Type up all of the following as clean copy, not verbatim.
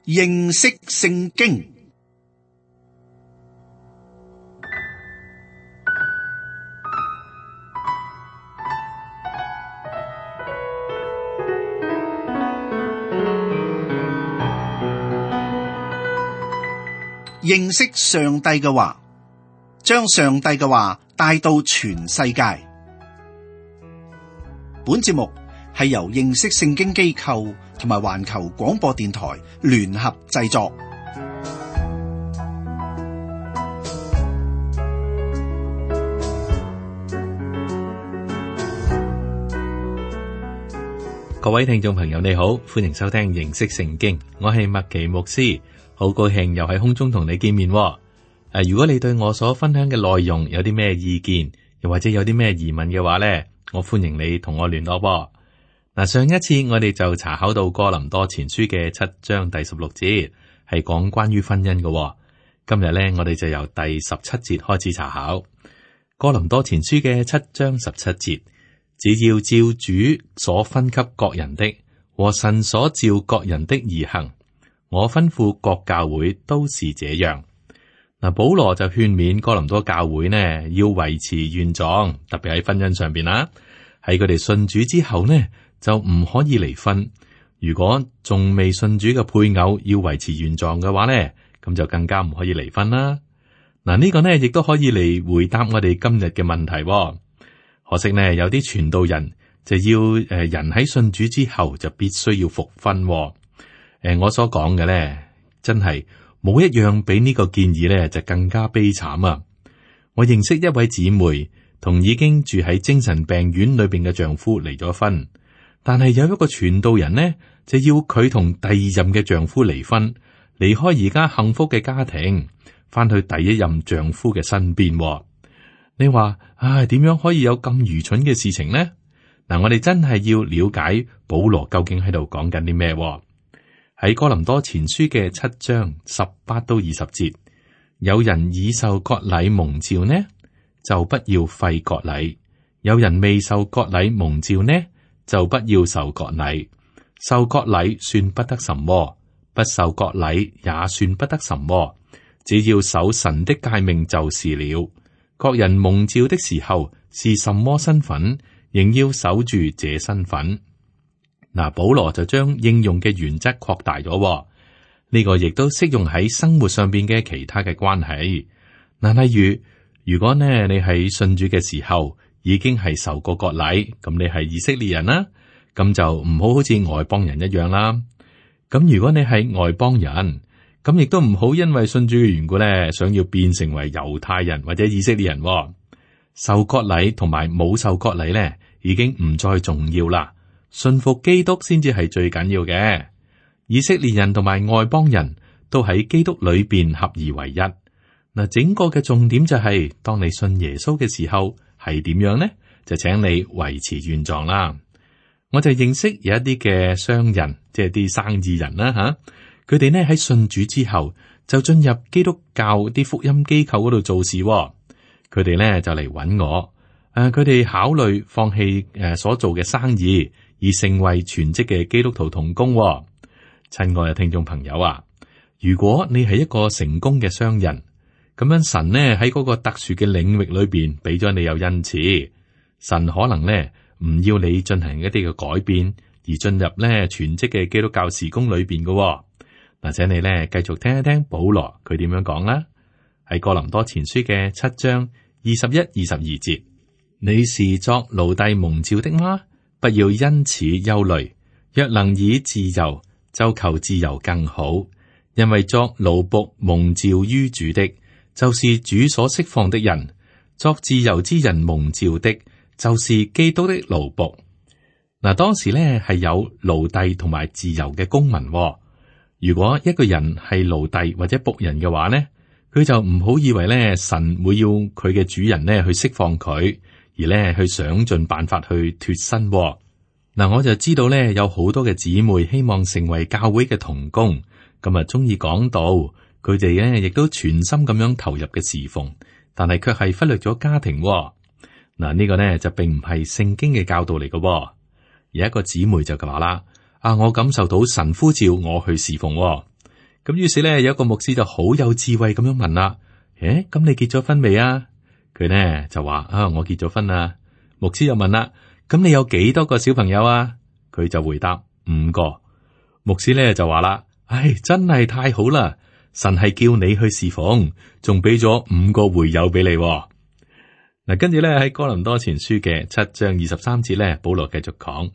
認識聖經。認識上帝嘅話，將上帝嘅話帶到全世界。本節目係由認識聖經機構同埋環球廣播電台聯合製作。各位聽眾朋友你好，歡迎收聽認識聖經，我係麥奇牧師，好高興又喺空中同你見面。如果你對我所分享嘅內容有啲咩意見，又或者有啲咩疑問嘅話呢，我歡迎你同我聯絡。上一次我哋就查考到哥林多前書嘅7章第16節，係講關於婚姻嘅。今日呢，我哋就由第17節開始查考哥林多前書嘅7章17節。只要照主所分給各人的和神所召各人的而行，我吩咐各教會都是這樣。保羅就勸勉哥林多教會呢，要維持原狀，特別喺婚姻上邊啦。喺佢哋信主之後呢，就唔可以離婚。如果仲未信主嘅配偶要維持原狀嘅話呢，咁就更加唔可以離婚啦。呢個呢亦都可以嚟回答我哋今日嘅問題。可惜呢，有啲傳道人就要人喺信主之後就必須要復婚。我所講嘅呢，真係冇一樣比呢個建議呢就更加悲慘啊！我認識一位姊妹，同已經住喺精神病院裏邊嘅丈夫離咗婚，但係有一個傳道人呢，就要佢同第二任嘅丈夫離婚，離開而家幸福嘅家庭，翻去第一任丈夫嘅身邊。你話點樣可以有咁愚蠢嘅事情呢？我哋真係要了解保羅究竟喺度講緊啲咩？喺哥林多前書嘅7章18到20節，有人已受割禮蒙召呢，就不要廢割禮；有人未受割禮蒙召呢，就不要受割禮。受割禮算不得什麼，不受割禮也算不得什麼，只要守神的誡命就是了。各人蒙召的時候是什麼身份，仍要守住這身份。保羅就將應用嘅原則擴大咗，呢個亦都適用喺生活上邊嘅其他嘅關係。例如果呢你喺信主嘅時候已經係受過割禮，咁你係以色列人啦，咁就唔好似外邦人一樣啦。咁如果你係外邦人，咁亦都唔好因為信主嘅緣故咧，想要變成為猶太人或者以色列人。受割禮同埋冇受割禮咧，已經唔再重要啦。信服基督先至係最緊要嘅。以色列人同埋外邦人都喺基督裏邊合而為一。整個嘅重點就係，當你信耶穌嘅時候係點樣呢？就請你維持原狀啦。我就認識有一啲嘅商人，即係啲生意人啦吓。佢哋呢喺信主之後就進入基督教啲福音機構嗰度做事。佢哋呢就嚟揾我，佢哋考慮放棄所做嘅生意，而成為全職嘅基督徒同工。親愛嘅聽眾朋友啊，如果你係一個成功嘅商人，咁樣神呢喺嗰個特殊嘅領域裏邊俾咗你有恩賜，神可能呢唔要你進行一啲嘅改變，而進入呢全職嘅基督教事工裏邊嘅。請你咧繼續聽一聽保羅佢點樣講啦。喺哥林多前書嘅7章21、22節，你是作奴隸蒙召的嗎？不要因此憂慮。若能以自由，就求自由更好。因為作奴僕蒙召於主的，就是主所釋放的人；作自由之人蒙召的，就是基督的奴僕。當時咧係有奴隸同埋自由嘅公民。如果一個人係奴隸或者僕人嘅話呢，佢就唔好以為咧神會要佢嘅主人咧去釋放佢，而咧去想盡辦法去脫身。我就知道咧有好多嘅姊妹希望成為教會嘅同工，咁啊中意講道，佢哋咧亦都全心咁樣投入嘅侍奉，但係卻係忽略咗家庭。呢個呢就並唔係聖經嘅教導嚟嘅。有一個姊妹就話啦。我感受到神呼召我去侍奉。咁於是咧，有一個牧師就好有智慧咁樣問啦：咁你結咗婚未啊？佢呢就話：我結咗婚啦。牧師又問啦：咁你有幾多個小朋友啊？佢就回答5個。牧師咧就話啦：真係太好啦！神係叫你去侍奉，仲俾咗5個會友俾你。嗱，跟住咧喺哥林多前書嘅7章23節咧，保羅繼續講：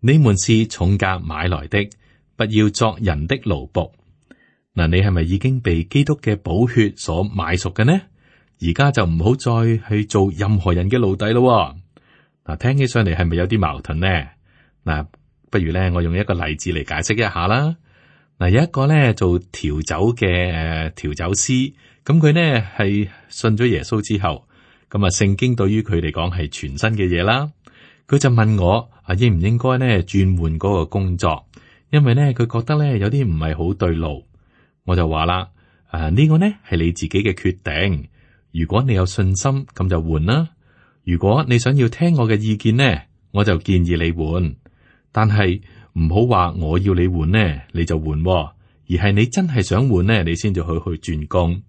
你們是重價買來的，不要作人的奴僕。嗱，你係咪已經被基督嘅寶血所買贖嘅呢？而家就唔好再去做任何人嘅奴隸咯。嗱，聽起上嚟係咪有啲矛盾呢？嗱，不如咧我用一個例子嚟解釋一下啦。嗱，有一個咧做調酒嘅調酒師，咁佢呢係信咗耶穌之後，咁聖經對於佢嚟講係全新嘅嘢啦。佢就問我應唔應該呢轉換嗰個工作，因為呢佢覺得呢有啲唔係好對路。我就話啦，呢個呢係你自己嘅決定。如果你有信心，咁就換啦。如果你想要聽我嘅意見呢，我就建議你換。但係唔好話我要你換呢，你就換，而係你真係想換呢，你先至去轉工。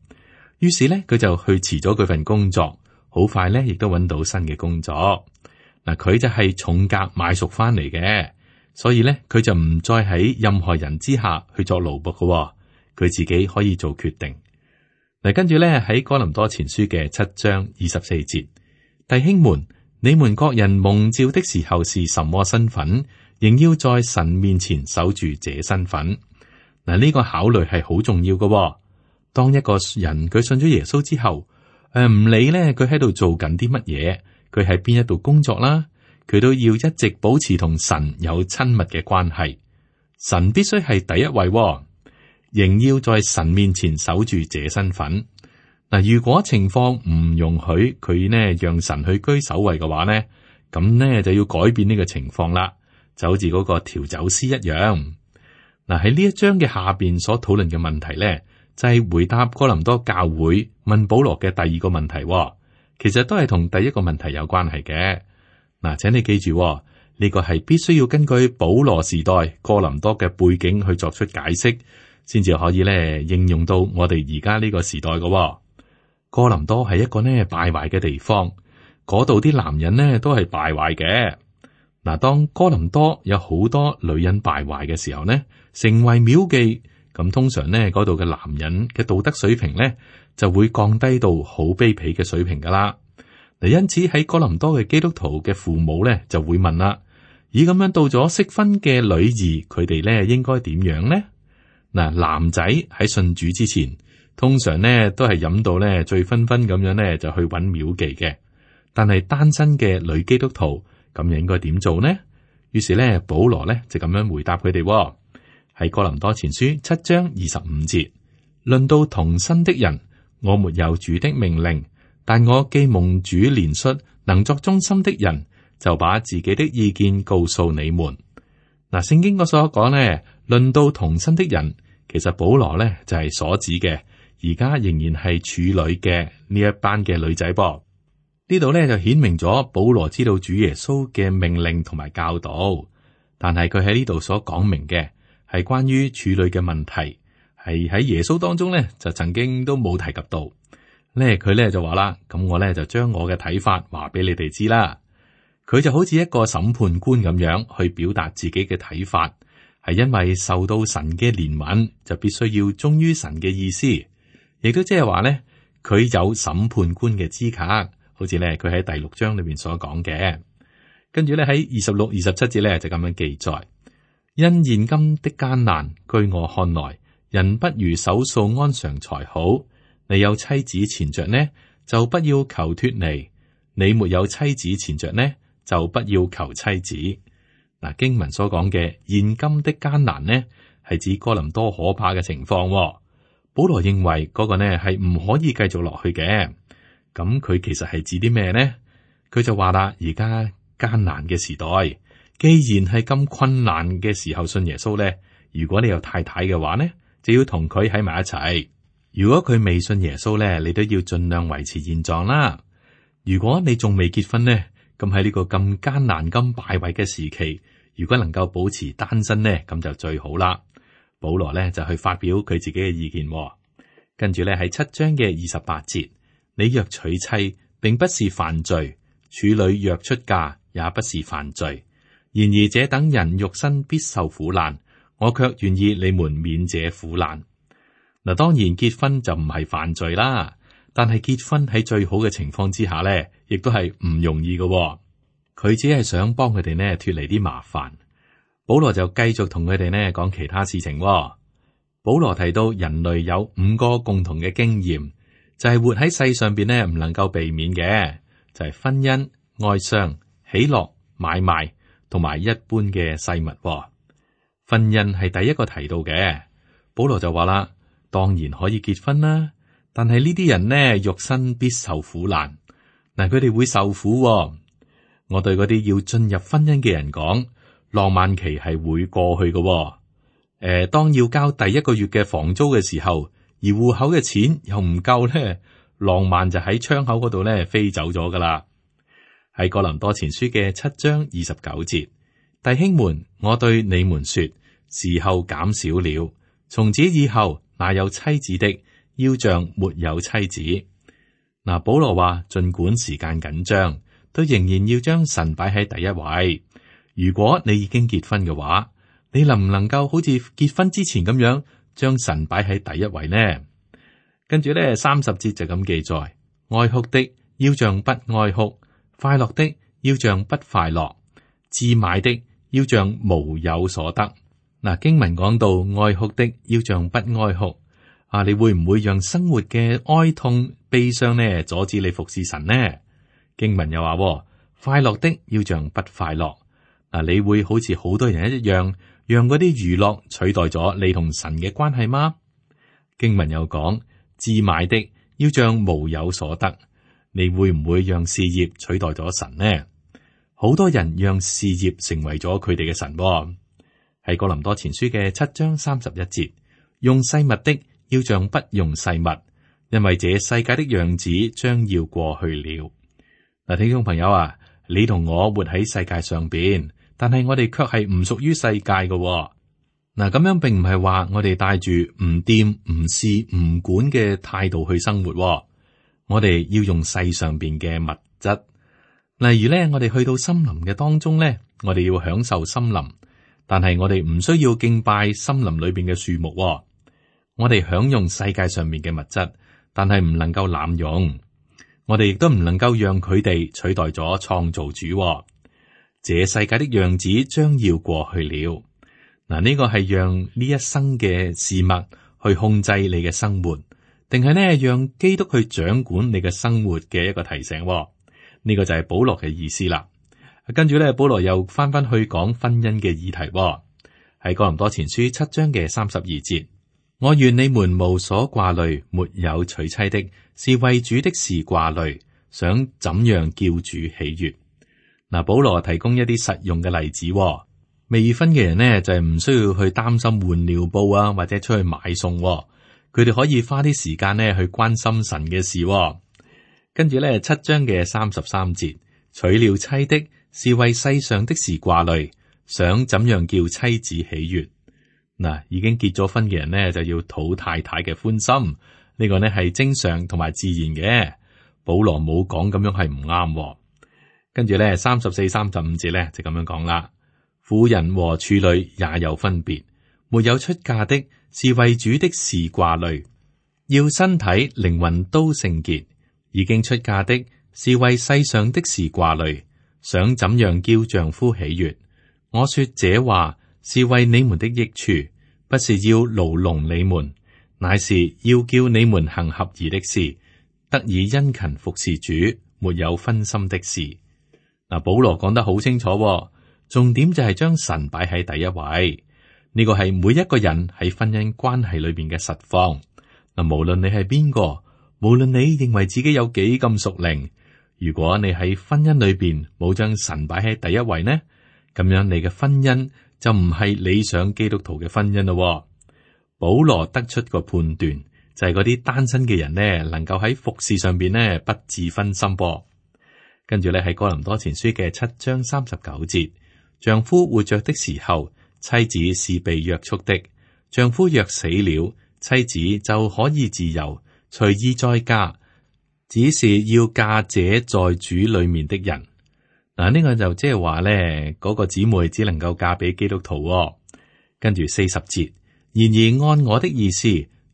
於是呢，佢就去辭咗佢份工作，好快呢亦都揾到新嘅工作。嗱，佢就係重價買贖翻嚟嘅，所以呢，佢就唔再喺任何人之下去作奴僕嘅，佢自己可以做決定。嗱，跟住咧喺哥林多前書嘅7章24節，弟兄們，你們各人蒙召的時候是什麼身份，仍要在神面前守住這身份。嗱，呢個考慮係好重要嘅。當一個人佢信咗耶穌之後，唔理咧佢喺度做緊啲乜嘢，佢喺邊一度工作啦，佢都要一直保持同神有親密嘅關係。神必須係第一位。仍要在神面前守住這身份。嗱，如果情況唔容許佢呢讓神去居首位嘅話呢，咁呢就要改變呢個情況啦，就好似嗰個調酒師一樣。嗱，喺呢一章嘅下邊所討論嘅問題呢，就係回答哥林多教會問保羅嘅第二個問題，其實都係同第一個問題有關係嘅。嗱，請你記住，呢個係必須要根據保羅時代哥林多嘅背景去作出解釋，先至可以咧應用到我哋而家呢個時代嘅。哥林多係一個呢敗壞嘅地方，嗰度啲男人呢都係敗壞嘅。嗱，當哥林多有好多女人敗壞嘅時候呢，成為廟妓，咁通常呢嗰度嘅男人嘅道德水平呢就會降低到好卑鄙嘅水平噶啦。嗱，因此喺哥林多嘅基督徒嘅父母呢就會問啦：咦，咁樣到咗適婚嘅女兒，佢哋呢應該點樣呢？嗱，男仔喺信主之前，通常呢都係飲到呢醉醺醺咁樣呢就去揾廟妓嘅。但係單身嘅女基督徒咁又應該點做呢？於是呢，保羅呢就咁樣回答佢哋，喺哥林多前書7章25節，論到同身的人，我沒有主的命令，但我既蒙主憐恤，能作忠心的人，就把自己的意見告訴你們。嗱，聖經嗰所講呢，論到同身的人，其實保羅呢就係所指嘅，而家仍然係處女嘅呢一班嘅女仔噃。呢度呢就顯明咗保羅知道主耶穌嘅命令同埋教導，但係佢喺呢度所講明嘅係關於處女嘅問題，係喺耶穌當中呢就曾經都冇提及到。呢佢呢就話啦，咁我呢就將我嘅睇法話俾你哋知啦。佢就好似一個審判官咁樣去表達自己嘅睇法，係因為受到神嘅憐憫，就必須要忠於神嘅意思，亦都即係話呢，佢有審判官嘅資格。好似咧，佢喺第6章裏面所講嘅，跟住咧喺26、27節咧就咁樣記載：因現今的艱難，據我看來，人不如守素安常才好。你有妻子纏着呢，就不要求脫離；你沒有妻子纏着呢，就不要求妻子。嗱，經文所講嘅現今的艱難呢，係指哥林多可怕嘅情況。保羅認為嗰個呢係唔可以繼續落去嘅。咁佢其實係指啲咩呢？佢就話啦，而家艱難嘅時代，既然係咁困難嘅時候信耶穌呢，如果你有太太嘅話呢，就要同佢喺埋一齊。如果佢未信耶穌呢，你都要盡量維持現狀啦。如果你仲未結婚呢，咁喺呢個咁艱難、咁敗壞嘅時期，如果能夠保持單身呢，咁就最好啦。保羅呢就去發表佢自己嘅意見。跟住呢係7章嘅28節，你若娶妻，並不是犯罪；處女若出嫁，也不是犯罪。然而這等人肉身必受苦難，我卻願意你們免這苦難。嗱，當然結婚就唔係犯罪啦，但係結婚喺最好嘅情況之下呢，亦都係唔容易嘅。佢只係想幫佢哋呢脫離啲麻煩。保羅就繼續同佢哋呢講其他事情。保羅提到人類有5個共同嘅經驗，就係活喺世上邊呢唔能夠避免嘅，就係婚姻、哀傷、喜樂、買賣同埋一般嘅世物。婚姻係第一個提到嘅，保羅就話啦，當然可以結婚啦，但係呢啲人呢肉身必受苦難。嗱，佢哋會受苦。我對嗰啲要進入婚姻嘅人講，浪漫期係會過去嘅。當要交第1個月嘅房租嘅時候，而戶口嘅錢又唔夠咧，浪漫就喺窗口嗰度咧飛走咗噶啦。喺哥林多前書嘅7章29節，弟兄們，我對你們說，時候減少了，從此以後，那有妻子的要像沒有妻子。嗱，保羅話，盡管時間緊張，都仍然要將神擺喺第一位。如果你已經結婚嘅話，你能唔能夠好似結婚之前咁樣將神擺喺第一位呢？跟住咧30節就咁記載：愛哭的要像不愛哭，快樂的要像不快樂，置買的要像無有所得。嗱，經文講到愛哭的要像不愛哭，你會唔會讓生活嘅哀痛悲傷呢阻止你服侍神呢？經文又話快樂的要像不快樂，你會好似好多人一樣，讓嗰啲娛樂取代咗你同神嘅關係嗎？經文又講，置買的要像無有所得，你會唔會讓事業取代咗神呢？好多人讓事業成為咗佢哋嘅神。喺哥林多前書嘅7章31節，用世物的要像不用世物，因為這世界的樣子將要過去了。嗱，聽眾朋友啊，你同我活喺世界上邊，但係我哋卻係唔屬於世界嘅。嗱，咁樣並唔係話我哋帶住唔掂、唔試、唔管嘅態度去生活。我哋要用世上邊嘅物質，例如咧，我哋去到森林嘅當中咧，我哋要享受森林，但係我哋唔需要敬拜森林裏邊嘅樹木。我哋享用世界上面嘅物質，但係唔能夠濫用。我哋亦都唔能夠讓佢哋取代咗創造主。這世界的樣子將要過去了。嗱，呢個係讓呢一生嘅事物去控制你嘅生活，定係呢讓基督去掌管你嘅生活嘅一個提醒。呢個就係保羅嘅意思啦。跟住咧，保羅又翻翻去講婚姻嘅議題。喺哥林多前書7章嘅32節，我願你們無所掛慮，沒有娶妻的，是為主的事掛慮，想怎樣叫主喜悅。嗱，保羅提供一啲實用嘅例子。未婚嘅人呢，就係唔需要去擔心換尿布啊，或者出去買餸。佢哋可以花啲時間呢去關心神嘅事。跟住咧7章嘅33節，娶了妻的是為世上的事掛慮，想怎樣叫妻子喜悅。嗱，已經結咗婚嘅人呢，就要討太太嘅歡心，呢個呢係正常同埋自然嘅。保羅冇講咁樣係唔啱。跟住咧34、35節咧就咁樣講啦。婦人和處女也有分別，沒有出嫁的是為主的事掛慮，要身體靈魂都聖潔；已經出嫁的是為世上的事掛慮，想怎樣叫丈夫喜悅。我說這話是為你們的益處，不是要牢籠你們，乃是要叫你們行合宜的事，得以殷勤服侍主，沒有分心的事。嗱，保羅講得好清楚，重點就係將神擺喺第一位。呢個係每一個人喺婚姻關係裏邊嘅實況。嗱，無論你係邊個，無論你認為自己有幾咁屬靈，如果你喺婚姻裏邊冇將神擺喺第一位呢，咁樣你嘅婚姻就唔係理想基督徒嘅婚姻咯。保羅得出個判斷，就係嗰啲單身嘅人呢，能夠喺服侍上邊呢不致分心噃。跟住咧係哥林多前書嘅7章39節，丈夫活着的時候，妻子是被約束的，丈夫若死了，妻子就可以自由隨意再嫁，只是要嫁這在主裏面的人。嗱，呢個就即係話咧，嗰個姊妹只能夠嫁俾基督徒。跟住40節，然而按我的意思，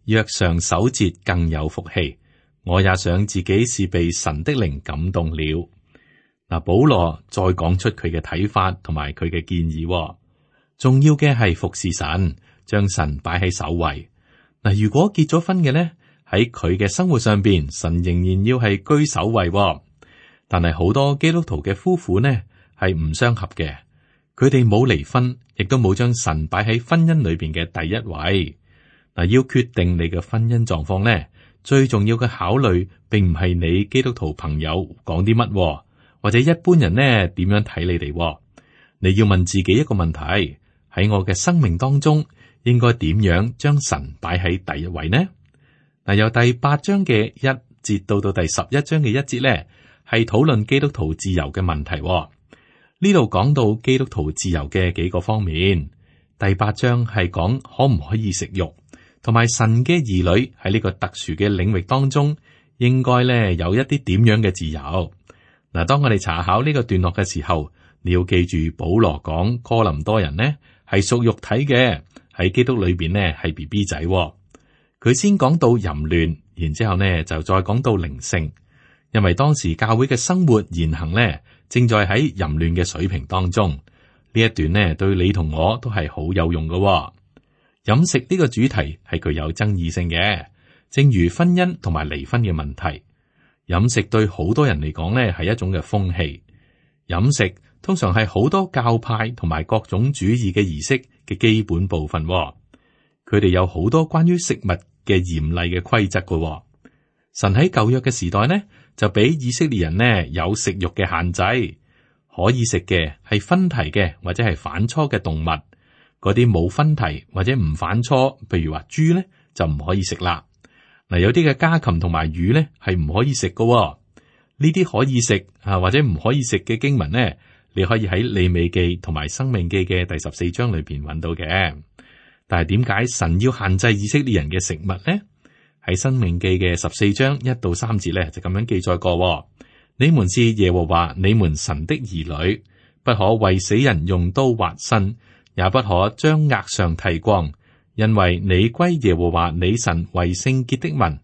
若常守節更有福氣。我也想自己是被神的靈感動了。嗱，保羅再講出佢嘅睇法同埋佢嘅建議。重要嘅係服侍神，將神擺喺首位。嗱，如果結咗婚嘅咧，喺佢嘅生活上邊，神仍然要係居首位。但係好多基督徒嘅夫婦呢係唔相合嘅，佢哋冇離婚，亦都冇將神擺喺婚姻裏邊嘅第一位。嗱，要決定你嘅婚姻狀況呢，最重要嘅考慮，並唔係你基督徒朋友講啲乜，或者一般人呢點樣睇你哋。你要問自己一個問題：喺我嘅生命當中，應該點樣將神擺喺第一位呢？嗱，由第8章嘅1節到第11章嘅1節呢，係討論基督徒自由嘅問題。呢度講到基督徒自由嘅幾個方面。第8章係講可唔可以食肉，同埋神嘅兒女喺呢個特殊嘅領域當中，應該咧有一啲點樣嘅自由。嗱，當我哋查考呢個段落嘅時候，你要記住保羅講哥林多人呢係屬肉體嘅，喺基督裏邊呢係 BB 仔。佢先講到淫亂，然之後呢就再講到靈性。因為當時教會嘅生活言行呢，正在喺淫亂嘅水平當中。呢一段呢，對你同我都係好有用嘅。飲食呢個主題係具有爭議性嘅，正如婚姻同埋離婚嘅問題。飲食對好多人嚟講呢，係一種嘅風氣。飲食通常係好多教派同埋各種主義嘅儀式嘅基本部分。佢哋有好多關於食物嘅嚴厲嘅規則嘅。神喺舊約嘅時代呢，就俾以色列人呢有食肉嘅限制，可以食嘅係分蹄嘅或者係反芻嘅動物，嗰啲冇分蹄或者唔反芻，譬如話豬呢，就唔可以食啦。嗱，有啲嘅家禽同埋魚呢係唔可以食嘅。呢啲可以食或者唔可以食嘅經文呢，你可以喺利未記同埋申命記嘅第14章裏邊揾到嘅。但係點解神要限制以色列人嘅食物呢？喺申命記嘅14章1到3節咧，就咁樣記載過：你們是耶和華你們神的兒女，不可為死人用刀劃身，也不可將額上剃光，因為你歸耶和華你神為聖潔的民。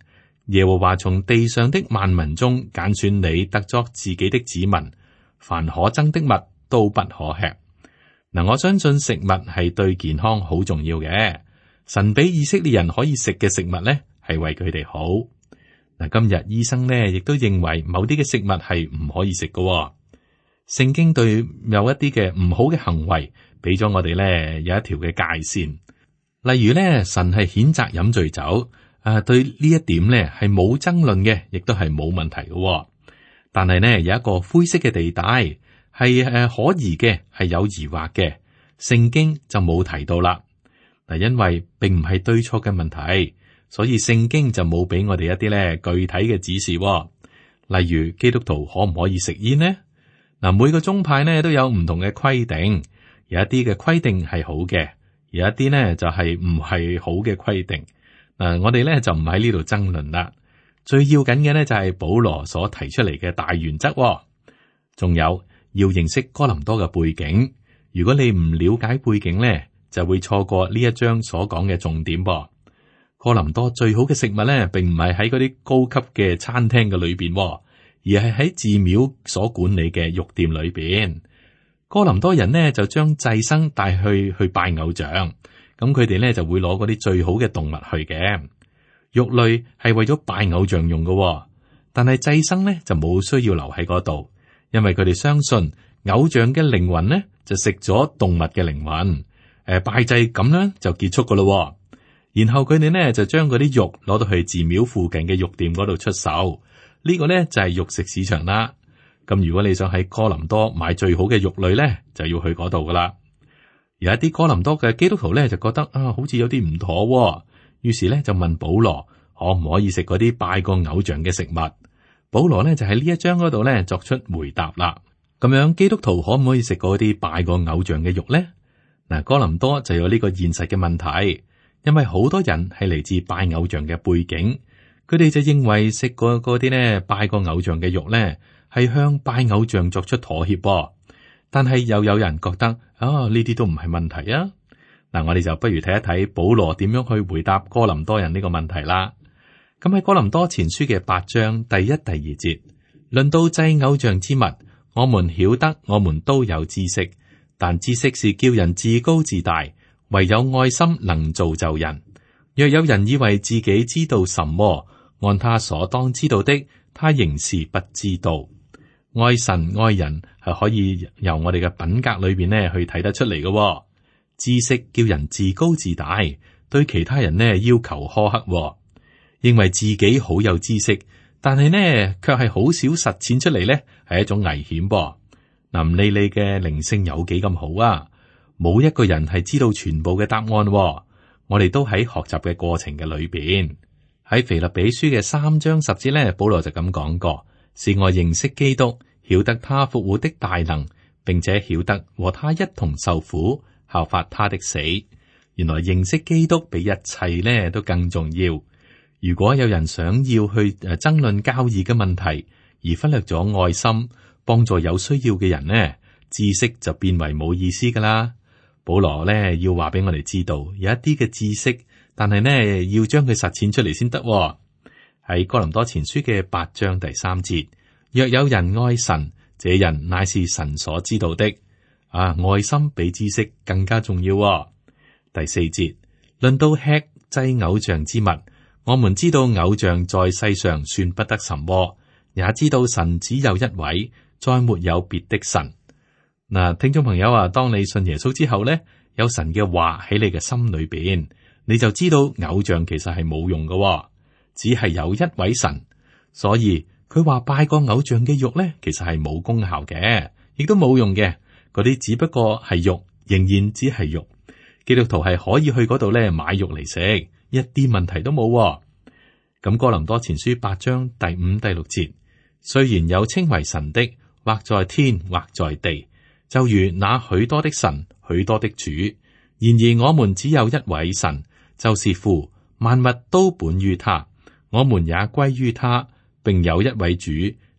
耶和華從地上的萬民中揀選你，特作自己的子民。凡可憎的物都不可吃。嗱，我相信食物係對健康好重要嘅。神俾以色列人可以食嘅食物咧，係為佢哋好。嗱，今日醫生咧亦都認為某啲嘅食物係唔可以食嘅。聖經對有一啲嘅唔好嘅行為，俾咗我哋咧有一條嘅界線。例如咧，神係譴責飲醉酒，對呢一點咧係冇爭論嘅，亦都係冇問題嘅。但係呢，有一個灰色嘅地帶，係可疑嘅，係有疑惑嘅，聖經就冇提到啦。嗱，因為並唔係對錯嘅問題。所以聖經就冇俾我哋一啲咧具體嘅指示。例如基督徒可唔可以食煙呢？嗱，每個宗派呢都有唔同嘅規定，有一啲嘅規定係好嘅，有一啲呢就係唔係好嘅規定。我哋咧就唔喺呢度爭論啦。最要緊嘅呢就係保羅所提出嚟嘅大原則。仲有要認識哥林多嘅背景。如果你唔了解背景呢，就會錯過呢一章所講嘅重點噃。哥林多最好嘅食物咧，並唔係喺嗰啲高級嘅餐廳嘅裏邊，而係喺寺廟所管理嘅肉店裏邊。哥林多人呢就將祭牲帶去拜偶像，咁佢哋咧就會攞嗰啲最好嘅動物去嘅。肉類係為咗拜偶像用嘅，但係祭牲咧就冇需要留喺嗰度，因為佢哋相信偶像嘅靈魂呢就食咗動物嘅靈魂，拜祭咁樣就結束噶咯。然後佢哋呢就將嗰啲肉攞到去寺廟附近嘅肉店嗰度出售，呢個呢就係肉食市場啦。咁如果你想喺哥林多買最好嘅肉類呢，就要去嗰度噶啦。有一啲哥林多嘅基督徒呢就覺得好似有啲唔妥，於是呢就問保羅可唔可以食嗰啲拜過偶像嘅食物。保羅呢就喺呢一章嗰度呢作出回答啦。咁樣基督徒可唔可以食嗰啲拜過偶像嘅肉呢？嗱，哥林多就有呢個現實嘅問題。因為好多人係嚟自拜偶像嘅背景，佢哋就認為食過嗰啲呢拜過偶像嘅肉呢，係向拜偶像作出妥協。但係又有人覺得呢啲都唔係問題啊。嗱，我哋就不如睇一睇保羅點樣去回答哥林多人呢個問題啦。咁喺哥林多前書嘅8章第1、第2節，論到祭偶像之物，我們曉得我們都有知識，但知識是叫人自高自大，唯有愛心能造就人。若有人以為自己知道什麼，按他所當知道的，他仍是不知道。愛神愛人係可以由我哋嘅品格裏邊呢去睇得出嚟嘅。知識叫人自高自大，對其他人呢要求苛刻，認為自己好有知識，但係呢卻係好少實踐出嚟，呢係一種危險噃。嗱，唔理你嘅靈性有幾咁好啊，冇一個人係知道全部嘅答案。我哋都喺學習嘅過程嘅裏邊。喺腓立比書嘅3章10節呢，保羅就咁講過：是我認識基督，曉得他復活的大能，並且曉得和他一同受苦，效法他的死。原來認識基督比一切呢都更重要。如果有人想要去爭論交易嘅問題，而忽略咗愛心幫助有需要嘅人呢，知識就變為冇意思噶啦。保羅呢要話俾我哋知道，有一啲嘅知識，但係呢要將佢實踐出嚟先得。喺哥林多前書嘅8章第3節，若有人愛神，這人乃是神所知道的。愛心比知識更加重要。第4節，論到吃祭偶像之物，我們知道偶像在世上算不得什麼，也知道神只有一位，再沒有別的神。嗱，聽眾朋友啊，當你信耶穌之後呢，有神嘅話喺你嘅心裏邊，你就知道偶像其實係冇用嘅，只係有一位神。所以佢話拜過偶像嘅肉呢，其實係冇功效嘅，亦都冇用嘅。嗰啲只不過係肉，仍然只係肉。基督徒係可以去嗰度呢買肉嚟食，一啲問題都冇。咁哥林多前書8章第5、第6節，雖然有稱為神的，或在天，或在地，就如那許多的神，許多的主，然而我們只有一位神，就是父，萬物都本於他，我們也歸於他，並有一位主，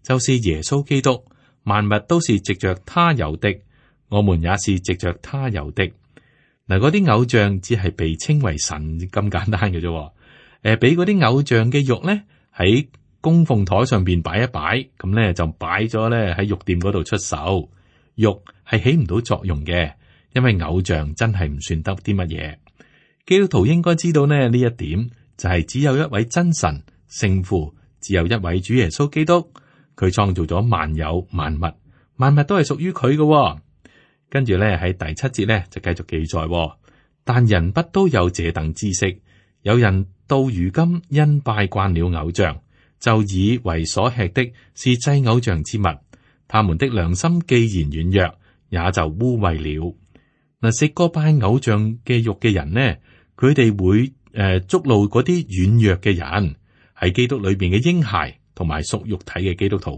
就是耶穌基督，萬物都是藉着他有的，我們也是藉着他有的。嗱，嗰啲偶像只係被稱為神咁簡單嘅啫。俾嗰啲偶像嘅肉咧喺供奉台上邊擺一擺，咁咧就擺咗咧喺肉店嗰度出售。肉係起唔到作用嘅，因為偶像真係唔算得啲乜嘢。基督徒應該知道呢一點，就係只有一位真神聖父，只有一位主耶穌基督，佢創造咗萬有萬物，萬物都係屬於佢嘅。跟住咧喺第7節咧就繼續記載，但人不都有這等知識？有人到如今因拜慣了偶像，就以為所吃的是祭偶像之物，他們的良心既然軟弱，也就污穢了。嗱，食過拜偶像嘅肉嘅人呢，佢哋會觸怒嗰啲軟弱嘅人，喺基督裏邊嘅嬰孩同埋屬肉體嘅基督徒。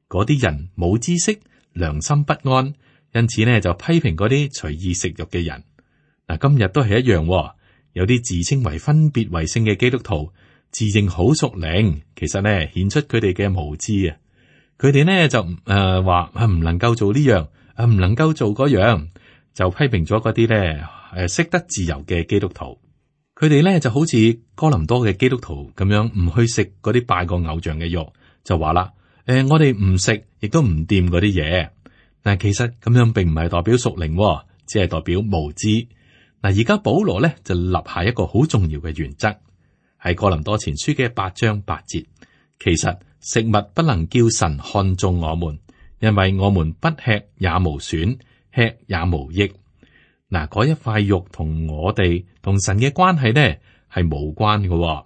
嗰啲人冇知識，良心不安，因此呢就批評嗰啲隨意食肉嘅人。嗱，今日都係一樣，有啲自稱為分別為聖嘅基督徒，自認好屬靈，其實呢顯出佢哋嘅無知啊！佢哋呢就話唔能夠做呢樣，唔能夠做嗰樣，就批評咗嗰啲呢識得自由嘅基督徒。佢哋呢就好似哥林多嘅基督徒咁樣，唔去食嗰啲拜過偶像嘅肉，就話啦，我哋唔食，亦都唔掂嗰啲嘢。但其實咁樣並唔係代表屬靈，只係代表無知。嗱，而家保羅咧就立下一個好重要嘅原則，喺哥林多前書嘅8章8節。其實食物不能叫神看中我們，因為我們不吃也無損，吃也無益。嗱，嗰一塊肉同我哋同神嘅關係呢係無關嘅。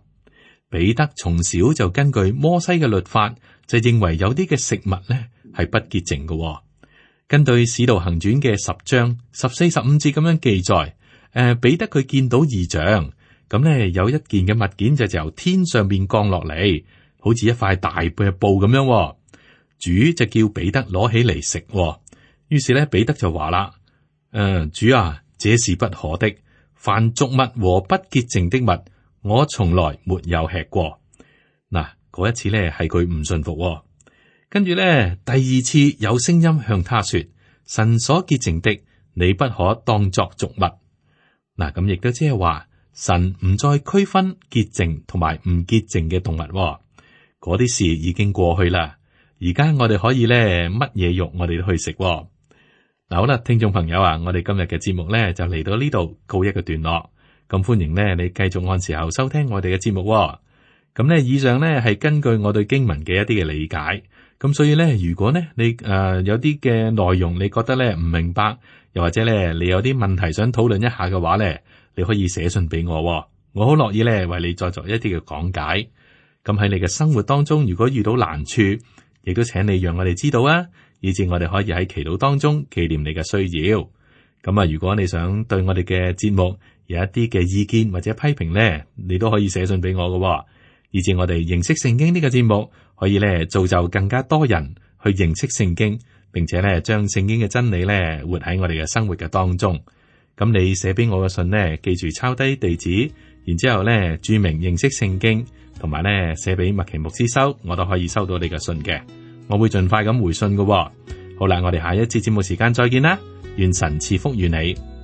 彼得從小就根據摩西嘅律法，就認為有啲嘅食物呢係不潔淨嘅。根據使徒行傳嘅10章14、15節咁樣記載。彼得佢見到異象，咁咧有一件嘅物件就由天上邊降落嚟，好似一塊大嘅布咁樣。主就叫彼得攞起嚟食。於是咧彼得就話啦：主啊，這是不可的，凡俗物和不潔淨的物，我從來沒有吃過。嗱，嗰一次呢係佢唔信服喎。跟住呢，第二次有聲音向他說：神所潔淨的，你不可當作俗物。嗱，咁亦都即係話，神唔再區分潔淨同埋唔潔淨嘅動物喎。嗰啲事已經過去啦。而家我哋可以呢，乜嘢肉我哋都去食喎。嗱，好啦，聽眾朋友啊，我哋今日嘅節目呢就嚟到呢度告一個段落。咁歡迎呢，你繼續按時候收聽我哋嘅節目喎。咁呢，以上呢係根據我對經文嘅一啲嘅理解。咁所以呢，如果呢你有啲嘅內容你覺得呢唔明白，又或者呢你有啲問題想討論一下嘅話呢，你可以寫信俾我喎。我好樂意呢為你再作一啲嘅講解。咁喺你嘅生活當中，如果遇到難處，亦都請你讓我哋知道啊，以致我哋可以喺祈禱當中紀念你嘅需要。咁啊，如果你想對我哋嘅節目有一啲嘅意見或者批評呢，你都可以寫信俾我嘅，以致我哋認識聖經呢個節目可以呢造就更加多人去認識聖經，並且呢將聖經嘅真理呢活喺我哋嘅生活嘅當中。咁你寫俾我嘅信呢，記住抄低地址，然之後呢注明認識聖經，同埋呢寫俾麥奇牧師收，我都可以收到你嘅信嘅。我會盡快咁回信嘅。好啦，我哋下一節節目時間再見啦，願神賜福與你。